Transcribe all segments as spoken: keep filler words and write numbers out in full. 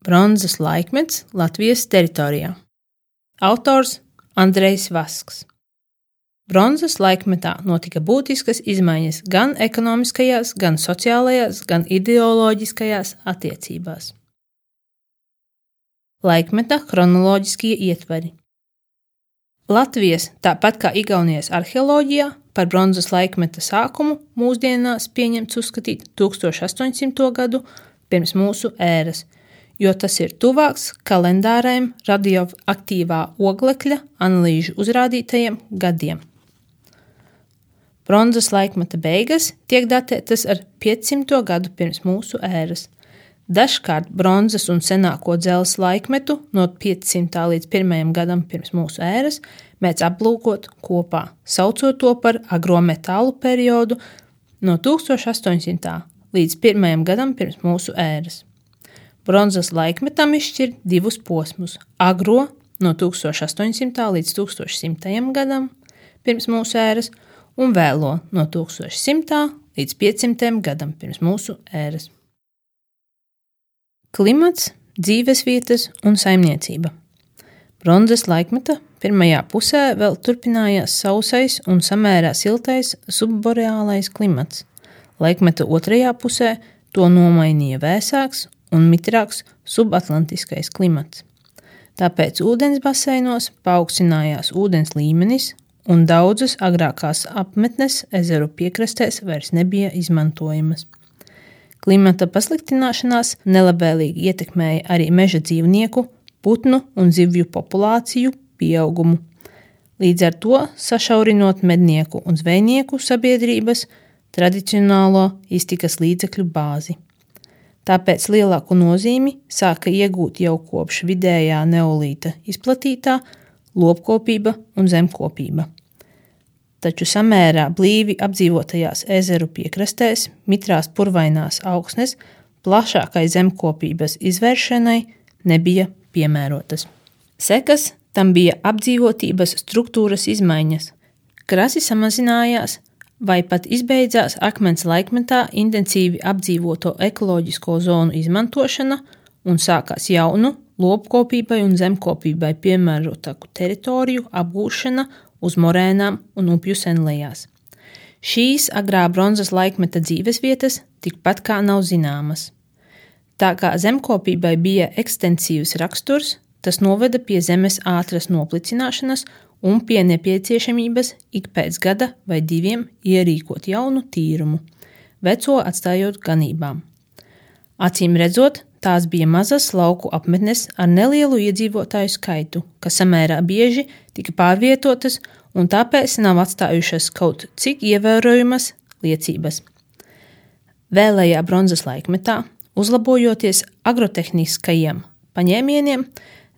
Bronzas laikmets Latvijas teritorijā. Autors Andrejs Vasks. Bronzas laikmetā notika būtiskas izmaiņas gan ekonomiskajās, gan sociālajās, gan ideoloģiskajās attiecībās. Laikmeta chronoloģiskie ietveri. Latvijas, tāpat kā Igaunijas arheoloģijā, par bronzas laikmeta sākumu mūsdienās pieņemts uzskatīt tūkstoš astoņsimto gadu pirms mūsu ēras, jo tas ir tuvāks kalendārajiem radioaktīvā oglekļa analīžu uzrādītajiem gadiem. Bronzas laikmeta beigas tiek datētas ar piecsimto gadu pirms mūsu ēras. Dažkārt bronzas un senāko dzelzs laikmetu no piecsimtā līdz pirmajam gadam pirms mūsu ēras mēdz aplūkot kopā, saucot to par agrometālu periodu no tūkstoš astoņsimtā līdz pirmajam gadam pirms mūsu ēras. Bronzas laikmetam izšķir divus posmus – agro no tūkstoš astoņsimtā līdz tūkstoš simtajam gadam pirms mūsu ēras un vēlo no tūkstoš simtā līdz piecsimtajam gadam pirms mūsu ēras. Klimats, dzīvesvietas un saimniecība. Bronzas laikmeta pirmajā pusē vēl turpinājās sausais un samērā siltais subboreālais klimats. Laikmeta otrajā pusē to nomainīja vēsāks un mitrāks subatlantiskais klimats. Tāpēc ūdens baseinos paaugstinājās ūdens līmenis un daudzas agrākās apmetnes ezeru piekrastēs vairs nebija izmantojamas. Klimata pasliktināšanās nelabvēlīgi ietekmēja arī meža dzīvnieku, putnu un zivju populāciju pieaugumu. Līdz ar to sašaurinot mednieku un zvejnieku sabiedrības tradicionālo iztikas līdzekļu bāzi. Tāpēc lielāku nozīmi sāka iegūt jau kopš vidējā neolīta izplatītā lopkopība un zemkopība. Taču samērā blīvi apdzīvotajās ezeru piekrastēs, mitrās purvainās augsnes, plašākai zemkopības izvēršanai nebija piemērotas. Sekas tam bija apdzīvotības struktūras izmaiņas. Krasi samazinājās vai pat izbeidzās akmens laikmetā intensīvi apdzīvoto ekoloģisko zonu izmantošana un sākās jaunu, lopkopībai un zemkopībai piemērotāku teritoriju apgūšana uz morēnām un upju senlejās. Šīs agrā bronzas laikmeta dzīvesvietas tikpat kā nav zināmas. Tā kā zemkopībai bija ekstensīvs raksturs, tas noveda pie zemes ātras noplicināšanas un pie nepieciešamības ik pēc gada vai diviem ierīkot jaunu tīrumu, veco atstājot ganībām. Acīm redzot, tās bija mazas lauku apmetnes ar nelielu iedzīvotāju skaitu, kas samērā bieži tika pārvietotas un tāpēc nav atstājušas kaut cik ievērojamas liecības. Vēlējā bronzas laikmetā, uzlabojoties agrotehniskajiem paņēmieniem,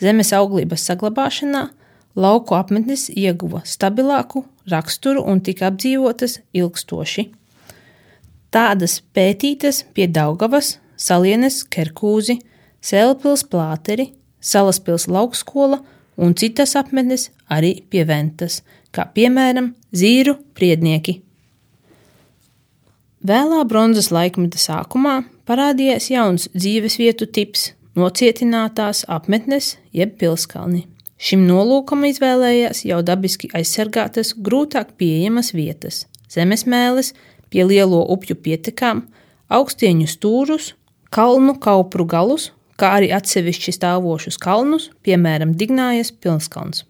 zemes auglības saglabāšanā, lauku apmetnes ieguva stabilāku raksturu un tika apdzīvotas ilgstoši. Tādas pētītas pie Daugavas, Salienes Kerkūzi, Sēlpils Plāteri, Salaspils Laukskola un citas apmetnes arī pie Ventas, kā piemēram Zīru priednieki. Vēlā bronzas laikmeta sākumā parādījās jauns dzīvesvietu tips – nocietinātās apmetnes jeb pilskalni. Šim nolūkam izvēlējās jau dabiski aizsargātas, grūtāk pieejamas vietas – zemesmēles, pie lielo upju pietekām, augstieņu stūrus, kalnu kaupru galus, kā arī atsevišķi stāvošus kalnus, piemēram Dignājas pilskalns.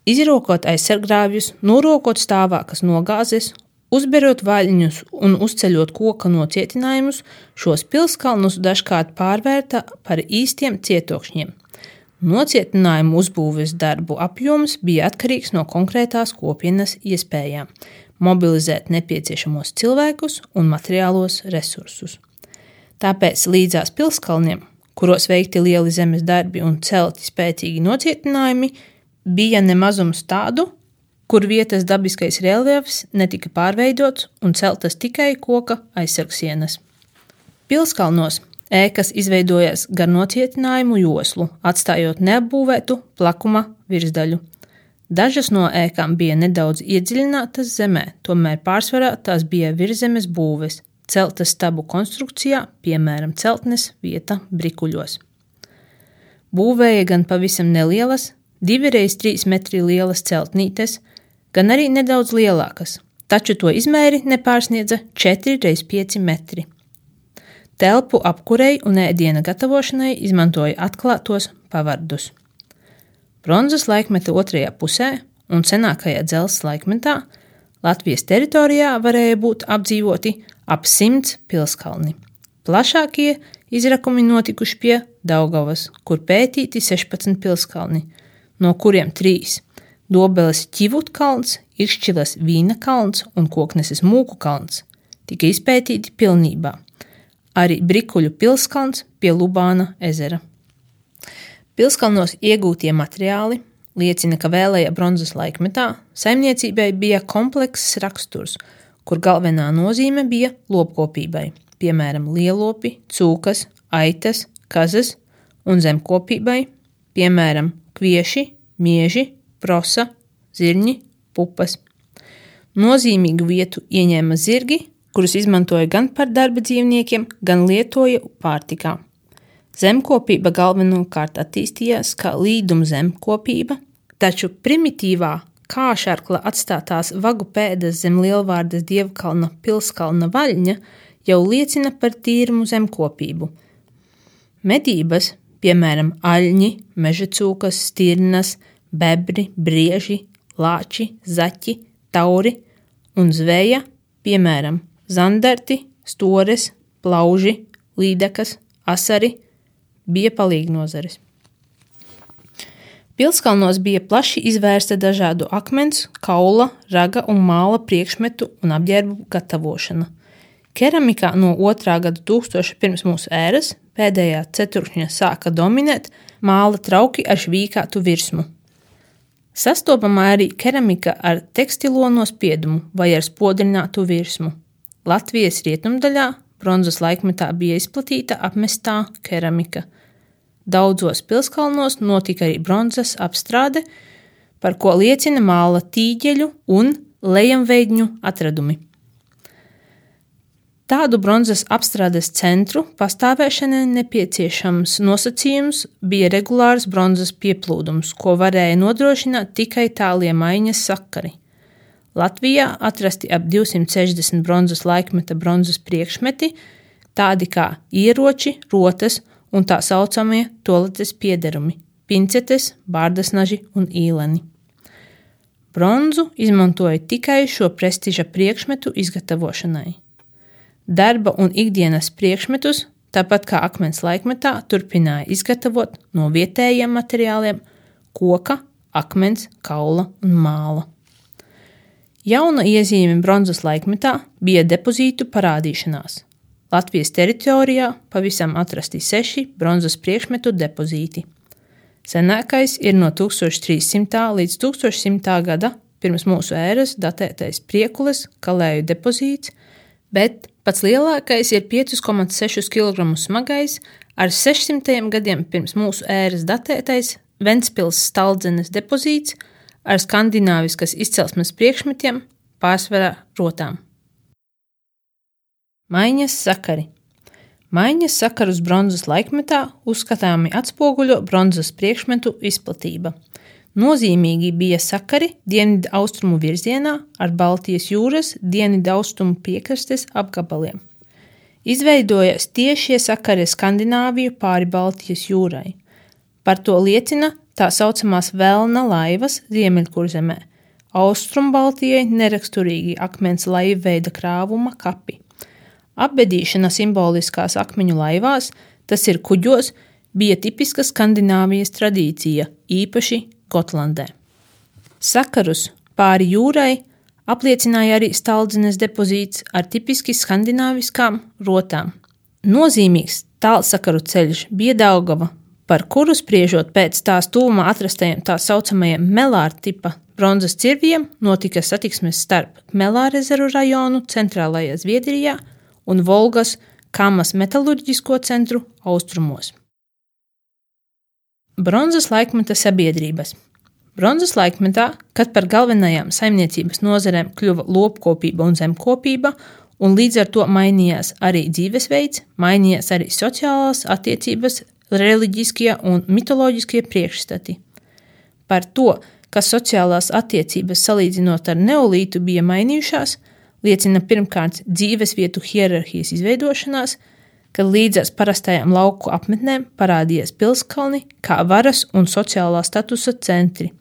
Izrokot aizsarggrāvjus, norokot stāvākas nogāzes, uzberot vaļņus un uzceļot koka nocietinājumus, šos pilskalnus dažkārt pārvērta par īstiem cietokšņiem. Nocietinājumu uzbūves darbu apjoms bija atkarīgs no konkrētās kopienas iespējām mobilizēt nepieciešamos cilvēkus un materiālos resursus. Tāpēc līdzās pilskalniem, kuros veikti lieli zemes darbi un celti spēcīgi nocietinājumi, bija nemazums tādu, kur vietas dabiskais reljefs netika pārveidots un celtas tikai koka aizsargsienas. Pilskalnos ēkas izveidojās gar nocietinājumu joslu, atstājot neapbūvētu plakuma virsdaļu. Dažas no ēkām bija nedaudz iedziļinātas zemē, tomēr pārsvarā tās bija virszemes būves, celtas stabu konstrukcijā, piemēram, celtnes vieta Brikuļos. Būvēja gan pavisam nelielas, divi reiz trīs metri lielas celtnītes, gan arī nedaudz lielākas, taču to izmēri nepārsniedza četri reiz pieci metri. Telpu apkurei un ēdiena gatavošanai izmantoja atklātos pavardus. Bronzas laikmeta otrajā pusē un senākajā dzelzs laikmetā Latvijas teritorijā varēja būt apdzīvoti ap simts pilskalni. Plašākie izrakumi notikuši pie Daugavas, kur pētīti sešpadsmit pilskalni, no kuriem trīs – Dobeles Ķivutkalns, Iršķilas Vīna kalns un Kokneses Mūku kalns – tika izpētīti pilnībā. Arī Brikuļu pilskalns pie Lubāna ezera. Pilskalnos iegūtie materiāli liecina, ka vēlējā bronzas laikmetā saimniecībai bija komplekss raksturs, kur galvenā nozīme bija lopkopībai, piemēram, lielopi, cūkas, aitas, kazas un zemkopībai, piemēram, kvieši, mieži, prosa, zirņi, pupas. Nozīmīgu vietu ieņēma zirgi, kurus izmantoja gan par darba dzīvniekiem, gan lietoja pārtikā. Zemkopība galvenokārt attīstījās kā līduma zemkopība, taču primitīvā kāšarkla atstātās vagu pēdas zem Lielvārdas Dievkalna pilskalna vaļņa jau liecina par tīrumu zemkopību. Medības, piemēram, aļņi, mežacūkas, stirnas, bebri, brieži, lāči, zaķi, tauri un zveja, piemēram, zandarti, stores, plauži, līdekas, asari, bija palīgnozares. Pilskalnos bija plaši izvērsta dažādu akmens, kaula, raga un māla priekšmetu un apģērbu gatavošana. Keramikā no otrā gada tūkstoša pirms mūsu ēras pēdējā ceturkšņa sāka dominēt māla trauki ar švīkātu virsmu. Sastopamā arī keramika ar tekstilo nospiedumu vai ar spodrinātu virsmu. Latvijas rietumdaļā bronzas laikmetā bija izplatīta apmestā keramika. Daudzos pilskalnos notika arī bronzas apstrāde, par ko liecina māla tīģeļu un lejamveidņu atradumi. Tādu bronzas apstrādes centru pastāvēšanai nepieciešams nosacījums bija regulārs bronzas pieplūdums, ko varēja nodrošināt tikai tālie maiņas sakari. Latvijā atrasti ap divsimt sešdesmit bronzas laikmeta bronzas priekšmeti, tādi kā ieroči, rotas un tā saucamie toaletes piederumi – pincetes, bārdasnaži un īleni. Bronzu izmantoja tikai šo prestiža priekšmetu izgatavošanai. Darba un ikdienas priekšmetus, tāpat kā akmens laikmetā, turpināja izgatavot no vietējiem materiāliem – koka, akmens, kaula un māla. Jauna iezīme bronzas laikmetā bija depozītu parādīšanās. Latvijas teritorijā pavisam atrasti seši bronzas priekšmetu depozīti. Senākais ir no tūkstoš trīssimtā līdz tūkstoš simtā gada pirms mūsu ēras datētais Priekules kalēju depozīts, bet pats lielākais ir pieci komats seši kilogramu smagais ar sešsimtajiem gadiem pirms mūsu ēras datētais Ventspils Staldzenes depozīts ar skandināviskas izcelsmes priekšmetiem, pārsvarā rotām. Maiņas sakari. Maiņas sakarus bronzas laikmetā uzskatāmi atspoguļo bronzas priekšmetu izplatība. Nozīmīgi bija sakari dienvidu austrumu virzienā ar Baltijas jūras dienvidu austrumu piekrastes apgabaliem. Izveidojas tiešie sakari Skandināviju pāri Baltijas jūrai. Par to liecina tā saucamās Velna laivas Ziemeļkurzemē, Austrum Baltijai neraksturīgi akmens laivveida krāvuma kapi. Apbedīšana simboliskās akmeņu laivās, tas ir kuģos, bija tipiska Skandināvijas tradīcija, īpaši Gotlandē. Sakarus pāri jūrai apliecināja arī Staldzenes depozīts ar tipiski skandināviskām rotām. Nozīmīgs tālsakaru ceļš bija Daugava, par kuru spriežot pēc tās tuvumā atrastajiem tā saucamajiem Melāra tipa bronzas cirviem notika satiksmes starp Melārezeru rajonu centrālajā Zviedrijā un Volgas Kamas metalurģisko centru austrumos. Bronzas laikmeta sabiedrības. Bronzas laikmetā, kad par galvenajām saimniecības nozarēm kļuva lopkopība un zemkopība, un līdz ar to mainījās arī dzīvesveids, mainījās arī sociālās attiecības, reliģiskie un mitoloģiskie priekšstati. Par to, ka sociālās attiecības salīdzinot ar neolītu bija mainījušās, liecina pirmkārt dzīvesvietu hierarhijas izveidošanās, kad līdzās parastajām lauku apmetnēm parādījās pilskalni kā varas un sociālā statusa centri.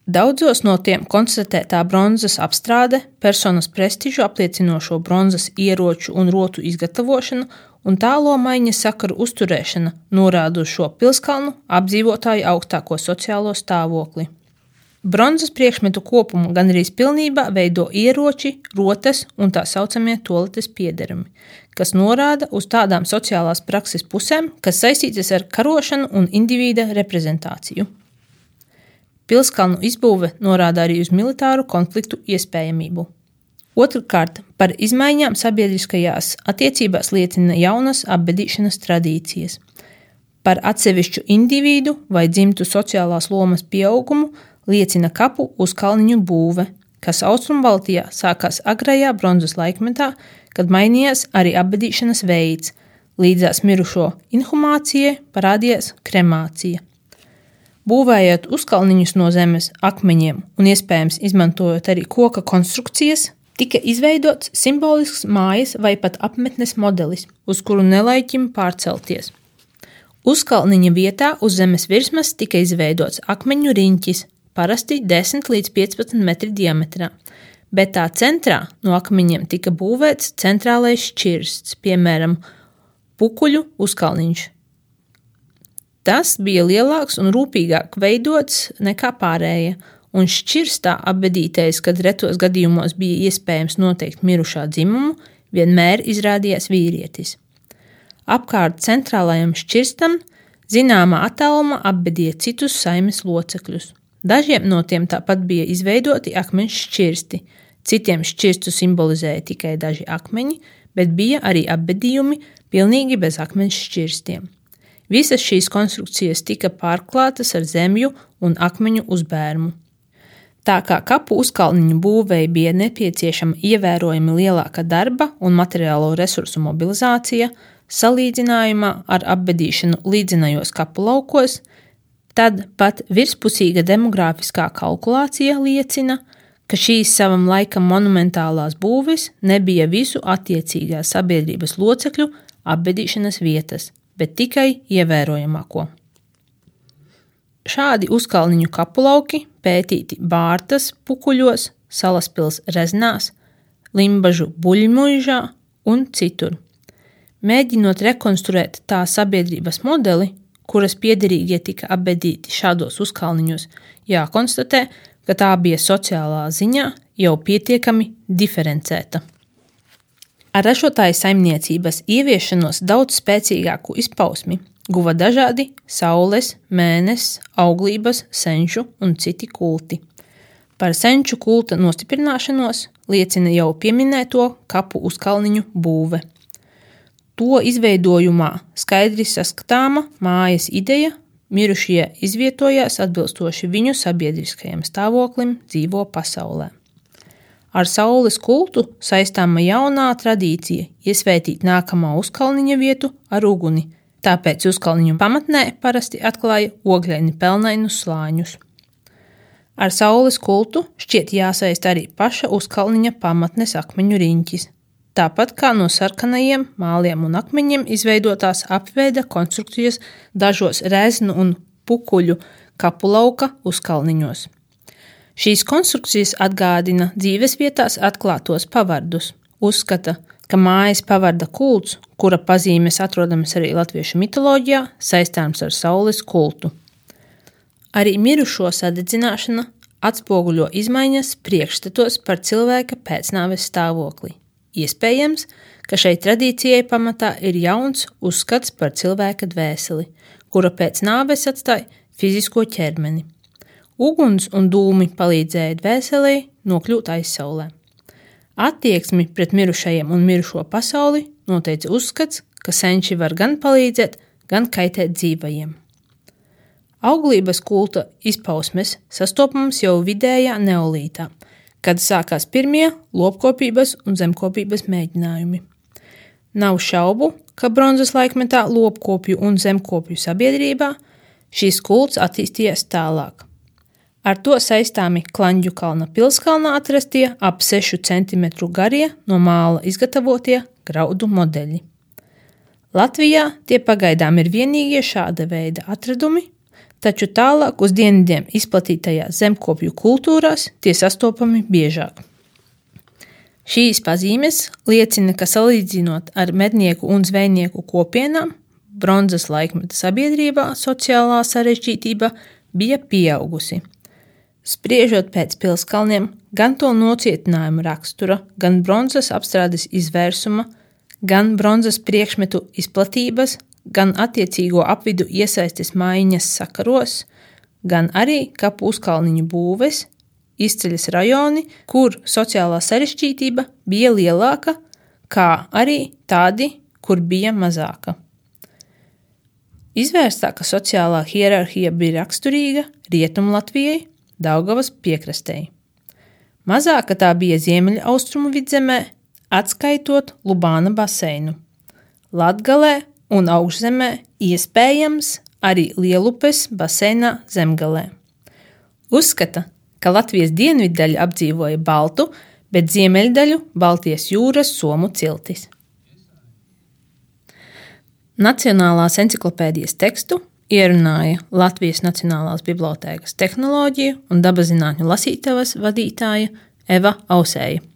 Daudzos no tiem konstatētā bronzas apstrāde, personas prestižu apliecinošo bronzas ieroču un rotu izgatavošanu un tālo maiņa sakaru uzturēšana norāda uz šo pilskalnu apdzīvotāju augstāko sociālo stāvokli. Bronzas priekšmetu kopumu gandrīz pilnībā veido ieroči, rotas un tā saucamie toaletes piederumi, kas norāda uz tādām sociālās prakses pusēm, kas saistītas ar karošanu un individa reprezentāciju. Pilskalnu izbūve norāda arī uz militāru konfliktu iespējamību. Otrkārt, par izmaiņām sabiedriskajās attiecībās liecina jaunas apbedīšanas tradīcijas. Par atsevišķu individu vai dzimtu sociālās lomas pieaugumu liecina kapu uz kalniņu būve, kas Austrumbaltijā sākās agrajā bronzas laikmetā, kad mainījās arī apbedīšanas veids, līdzās mirušo inhumācijai parādījās kremācija. Būvējot uzkalniņus no zemes akmeņiem un iespējams izmantojot arī koka konstrukcijas, tika izveidots simbolisks mājas vai pat apmetnes modelis, uz kuru nelaiķim pārcelties. Uzkalniņa vietā uz zemes virsmas tika izveidots akmeņu riņķis, parasti desmit līdz piecpadsmit metri diametrā, bet tā centrā no akmeņiem tika būvēts centrālais šķirsts, piemēram, pukuļu uzkalniņš. Tas bija lielāks un rūpīgāk veidots nekā pārējie, un šķirstā apbedītais, kad retos gadījumos bija iespējams noteikt mirušā dzimumu, vienmēr izrādījās vīrietis. Apkārt centrālajam šķirstam zināmā attālumā apbedīja citus saimes locekļus. Dažiem no tiem tāpat bija izveidoti akmeņu šķirsti, citiem šķirstu simbolizēja tikai daži akmeņi, bet bija arī apbedījumi pilnīgi bez akmeņu šķirstiem. Visas šīs konstrukcijas tika pārklātas ar zemju un akmeņu uzbērmu. Tā kā kapu uzkalniņu būvei bija nepieciešama ievērojami lielāka darba un materiālo resursu mobilizācija, salīdzinājumā ar apbedīšanu līdzinājos kapu laukos, tad pat virspusīga demogrāfiskā kalkulācija liecina, ka šīs savam laikam monumentālās būves nebija visu attiecīgās sabiedrības locekļu apbedīšanas vietas, bet tikai ievērojamāko. Šādi uzkalniņu kapulauki pētīti Bārtas pukuļos, Salaspils reznās, Limbažu buļmuižā un citur. Mēģinot rekonstruēt tā sabiedrības modeli, kuras piederīgie tika apbedīti šādos uzkalniņos, jākonstatē, ka tā bija sociālā ziņā jau pietiekami diferencēta. Ar ražotāju saimniecības ieviešanos daudz spēcīgāku izpausmi guva dažādi saules, mēneses, auglības, senču un citi kulti. Par senču kulta nostiprināšanos liecina jau pieminēto kapu uzkalniņu būve. To izveidojumā skaidri saskatāma mājas ideja, mirušie izvietojās atbilstoši viņu sabiedriskajam stāvoklim dzīvo pasaulē. Ar saules kultu saistāma jaunā tradīcija iesvētīt nākamā uzkalniņa vietu ar uguni, tāpēc uzkalniņu pamatnē parasti atklāja ogļaini pelnainus slāņus. Ar saules kultu šķiet jāsaist arī paša uzkalniņa pamatnes akmeņu riņķis, tāpat kā no sarkanajiem māliem un akmeņiem izveidotās apveida konstrukcijas dažos reznu un pukuļu kapulauka uzkalniņos. Šīs konstrukcijas atgādina dzīvesvietās atklātos pavardus. Uzskata, ka mājas pavarda kults, kura pazīmes atrodamas arī latviešu mitoloģijā, saistāms ar saules kultu. Arī mirušo sadedzināšana atspoguļo izmaiņas priekšstatos par cilvēka pēcnāves stāvokli. Iespējams, ka šai tradīcijai pamatā ir jauns uzskats par cilvēka dvēseli, kura pēc nāves atstāja fizisko ķermeni. Uguns un dūmi palīdzēja dvēselei nokļūt aizsaulē. Attieksmi pret mirušajiem un mirušo pasauli noteica uzskats, ka senči var gan palīdzēt, gan kaitēt dzīvajiem. Auglības kulta izpausmes sastopams jau vidējā neolītā, kad sākās pirmie lopkopības un zemkopības mēģinājumi. Nav šaubu, ka bronzas laikmetā lopkopju un zemkopju sabiedrībā šīs kults attīstījās tālāk. Ar to saistāmi Klaņģu kalna pilskalnā atrastie ap sešu centimetru garie no māla izgatavotie graudu modeļi. Latvijā tie pagaidām ir vienīgie šāda veida atradumi, taču tālāk uz dienvidiem izplatītajās zemkopju kultūrās tie sastopami biežāk. Šīs pazīmes liecina, ka salīdzinot ar mednieku un zvejnieku kopienām, bronzas laikmeta sabiedrībā sociālā sarežģītība bija pieaugusi. Spriežot pēc pilskalniem, gan to nocietinājuma rakstura, gan bronzas apstrādes izvērsuma, gan bronzas priekšmetu izplatības, gan attiecīgo apvidu iesaistes maiņas sakaros, gan arī kapu uzkalniņu būves, izceļas rajoni, kur sociālā sarežģītība bija lielāka, kā arī tādi, kur bija mazāka. Izvērstāka sociālā hierarhija bija raksturīga Rietumlatvijai, Daugavas piekrastei. Mazāka tā bija ziemeļaustrumu vidzemē, atskaitot Lubāna baseinu. Latgalē un Augšzemē iespējams arī Lielupes baseinā zemgalē. Uzskata, ka Latvijas dienviddaļa apdzīvoja Baltu, bet ziemeļdaļu Baltijas jūras somu ciltis. Nacionālās enciklopēdijas tekstu ierunāja Latvijas Nacionālās bibliotēkas tehnoloģiju un dabaszinātņu lasītavas vadītāja Eva Ausēja.